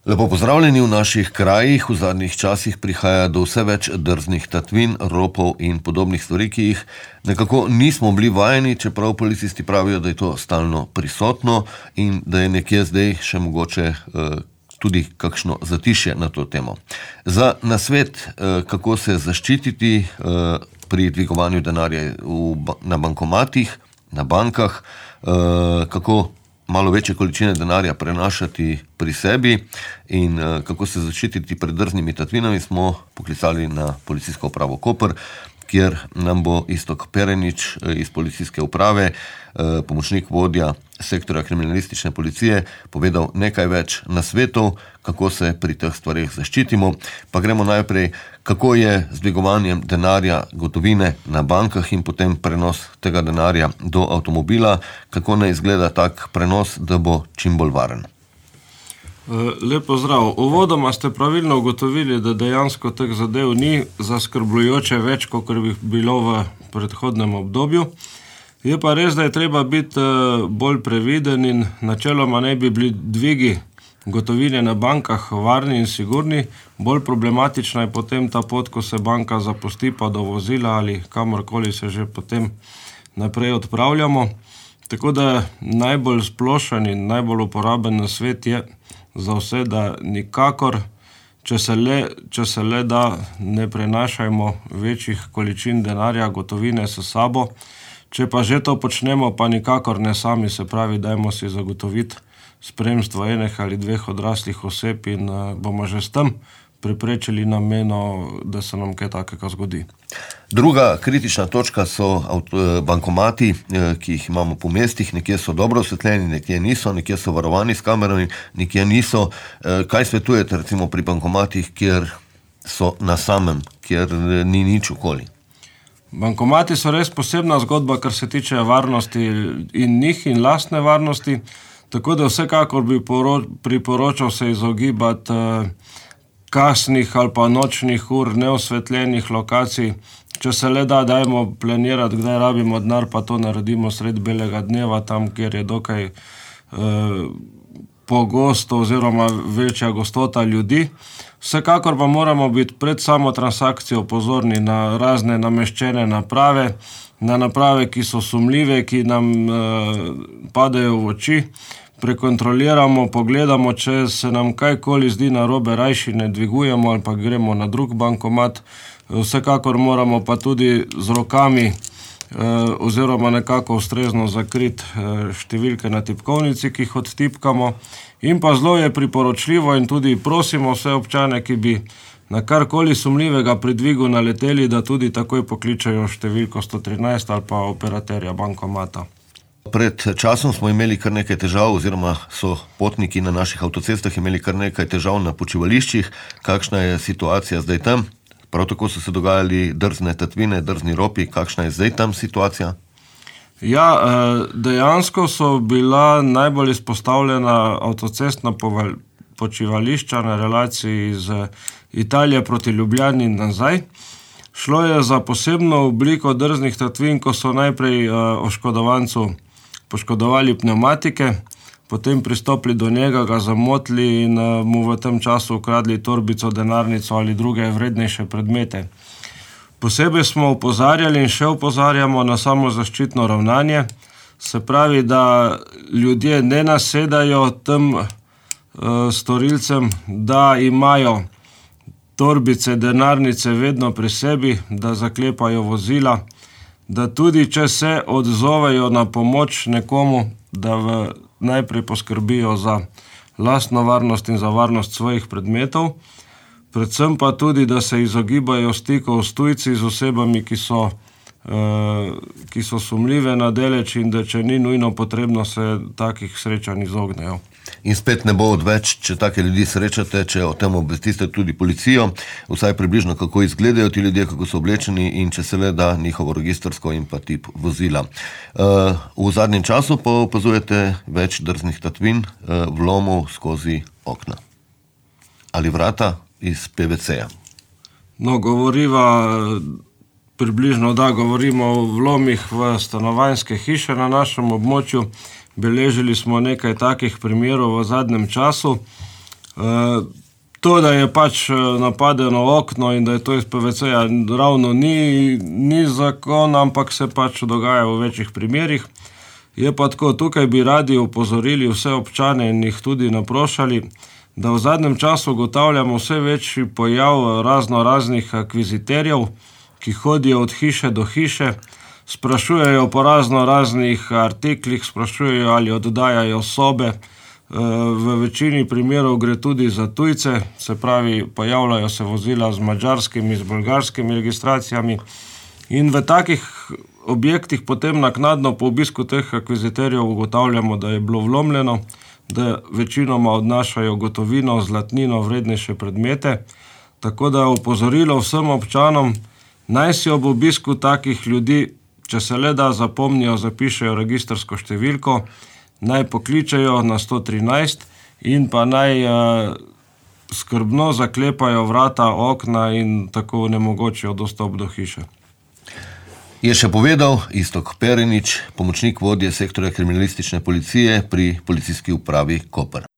Lepo pozdravljeni v naših krajih. V zadnjih časih prihaja do vse več drznih tatvin, ropov in podobnih stvari, ki jih nekako nismo bili vajeni, čeprav policisti pravijo, da je to stalno prisotno in da je nekje zdaj še mogoče tudi kakšno zatišje na to temo. Za nasvet, kako se zaščititi pri dvigovanju denarja na bankomatih, na bankah, kako malo večje količine denarja prenašati pri sebi in kako se zaščititi pred drznimi tatvinami, smo poklicali na policijsko upravo Koper, kjer nam bo Iztok Perenič iz policijske uprave, pomočnik vodja sektorja kriminalistične policije, povedal nekaj več nasvetov, kako se pri teh stvareh zaščitimo. Pa gremo najprej, kako je z dvigovanjem denarja gotovine na bankah in potem prenos tega denarja do avtomobila, kako naj izgleda tak prenos, da bo čim bolj varen. Lep pozdrav. Uvodoma ste pravilno ugotovili, da dejansko teh zadev ni zaskrbljujoče več, kot bi bilo v predhodnem obdobju. Je pa res, da je treba biti bolj previden in načeloma naj bi bili dvigi gotovine na bankah varni in sigurni. Bolj problematična je potem ta pot, ko se banka zapusti pa do vozila ali kamorkoli se že potem naprej odpravljamo. Tako da najbolj splošen in najbolj uporaben nasvet je za vse, da nikakor, če se le da, ne prenašajmo večjih količin denarja, gotovine s sabo. Če pa že to počnemo, pa nikakor ne sami, se pravi, dajmo si zagotoviti spremstvo enih ali dveh odraslih oseb in bomo že s tem preprečili nameno, da se nam kaj takega zgodi. Druga kritična točka so bankomati, ki jih imamo po mestih. Nekje so dobro osvetljeni, nekje niso, nekje so varovani s kamerami, nekje niso. Kaj svetujete recimo pri bankomatih, kjer so na samem, kjer ni nič okoli? Bankomati so res posebna zgodba, kar se tiče varnosti in njih in lastne varnosti, tako da vsekakor bi priporočal se izogibati kasnih ali pa nočnih ur, neosvetljenih lokacij. Če se le da, dajmo planirati, kdaj rabimo denar, pa to naredimo sred belega dneva, tam, kjer je dokaj pogosto oziroma večja gostota ljudi. Vsekakor pa moramo biti pred samo transakcijo pozorni na razne nameščene naprave, na naprave, ki so sumljive, ki nam padejo v oči. Prekontroliramo, pogledamo, če se nam kajkoli zdi narobe, rajši ne dvigujemo ali pa gremo na drug bankomat. Vsekakor moramo pa tudi z rokami oziroma nekako ustrezno zakriti številke na tipkovnici, ki jih odtipkamo. In pa zelo je priporočljivo in tudi prosimo vse občane, ki bi na karkoli sumljivega pri dvigu naleteli, da tudi takoj pokličajo številko 113 ali pa operaterja bankomata. Pred časom smo imeli kar nekaj težav, oziroma so potniki na naših avtocestah imeli kar nekaj težav na počivališčih. Kakšna je situacija zdaj tam? Prav tako so se dogajali drzne tatvine, drzni ropi. Kakšna je zdaj tam situacija? Ja, dejansko so bila najbolj izpostavljena avtocestna počivališča na relaciji z Italije proti Ljubljani in nazaj. Šlo je za posebno obliko drznih tatvin, ko so najprej oškodovancu poškodovali pnevmatike, potem pristopili do njega, ga zamotili in mu v tem času ukradli torbico, denarnico ali druge vrednejše predmete. Posebej smo opozarjali in še opozarjamo na samozaščitno ravnanje, se pravi, da ljudje ne nasedajo tem storilcem, da imajo torbice, denarnice vedno pri sebi, da zaklepajo vozila, da tudi če se odzovejo na pomoč nekomu, da najprej poskrbijo za lastno varnost in za varnost svojih predmetov, predvsem pa tudi, da se izogibajo stikov s tujci, z osebami, ki so sumljive na deleč in da če ni nujno potrebno, se takih srečanj izognejo. In spet ne bo odveč, če take ljudi srečate, če o tem obvestite tudi policijo, vsaj približno kako izgledajo ti ljudje, kako so oblečeni in če se le da njihovo registrsko in pa tip vozila. V zadnjem času pa opazujete več drznih tatvin, vlomov skozi okna ali vrata iz PVC-ja. No, govorimo o vlomih v stanovanjske hiše na našem območju. Beležili smo nekaj takih primerov v zadnjem času. To, da je pač napadeno okno in da je to iz PVC-ja, ravno ni zakon, ampak se pač dogaja v večjih primerih. Je pa tako, tukaj bi radi opozorili vse občane in jih tudi naprošali, da v zadnjem času ugotavljamo vse večji pojav raznih akviziterjev, ki hodijo od hiše do hiše, sprašujejo po raznih artiklih, sprašujejo ali oddajajo sobe. V večini primerov gre tudi za tujce, se pravi, pojavljajo se vozila z madžarskimi, z bolgarskimi registracijami in v takih objektih potem naknadno po obisku teh akviziterjev ugotavljamo, da je bilo vlomljeno, da večinoma odnašajo gotovino, zlatnino, vrednejše predmete. Tako da opozorilo vsem občanom, naj si ob obisku takih ljudi, če se le da, zapomnijo, zapišejo registrsko številko, naj pokličejo na 113 in pa naj skrbno zaklepajo vrata, okna in tako onemogočijo dostop do hiše. Je še povedal Iztok Perinič, pomočnik vodje sektorja kriminalistične policije pri Policijski upravi Koper.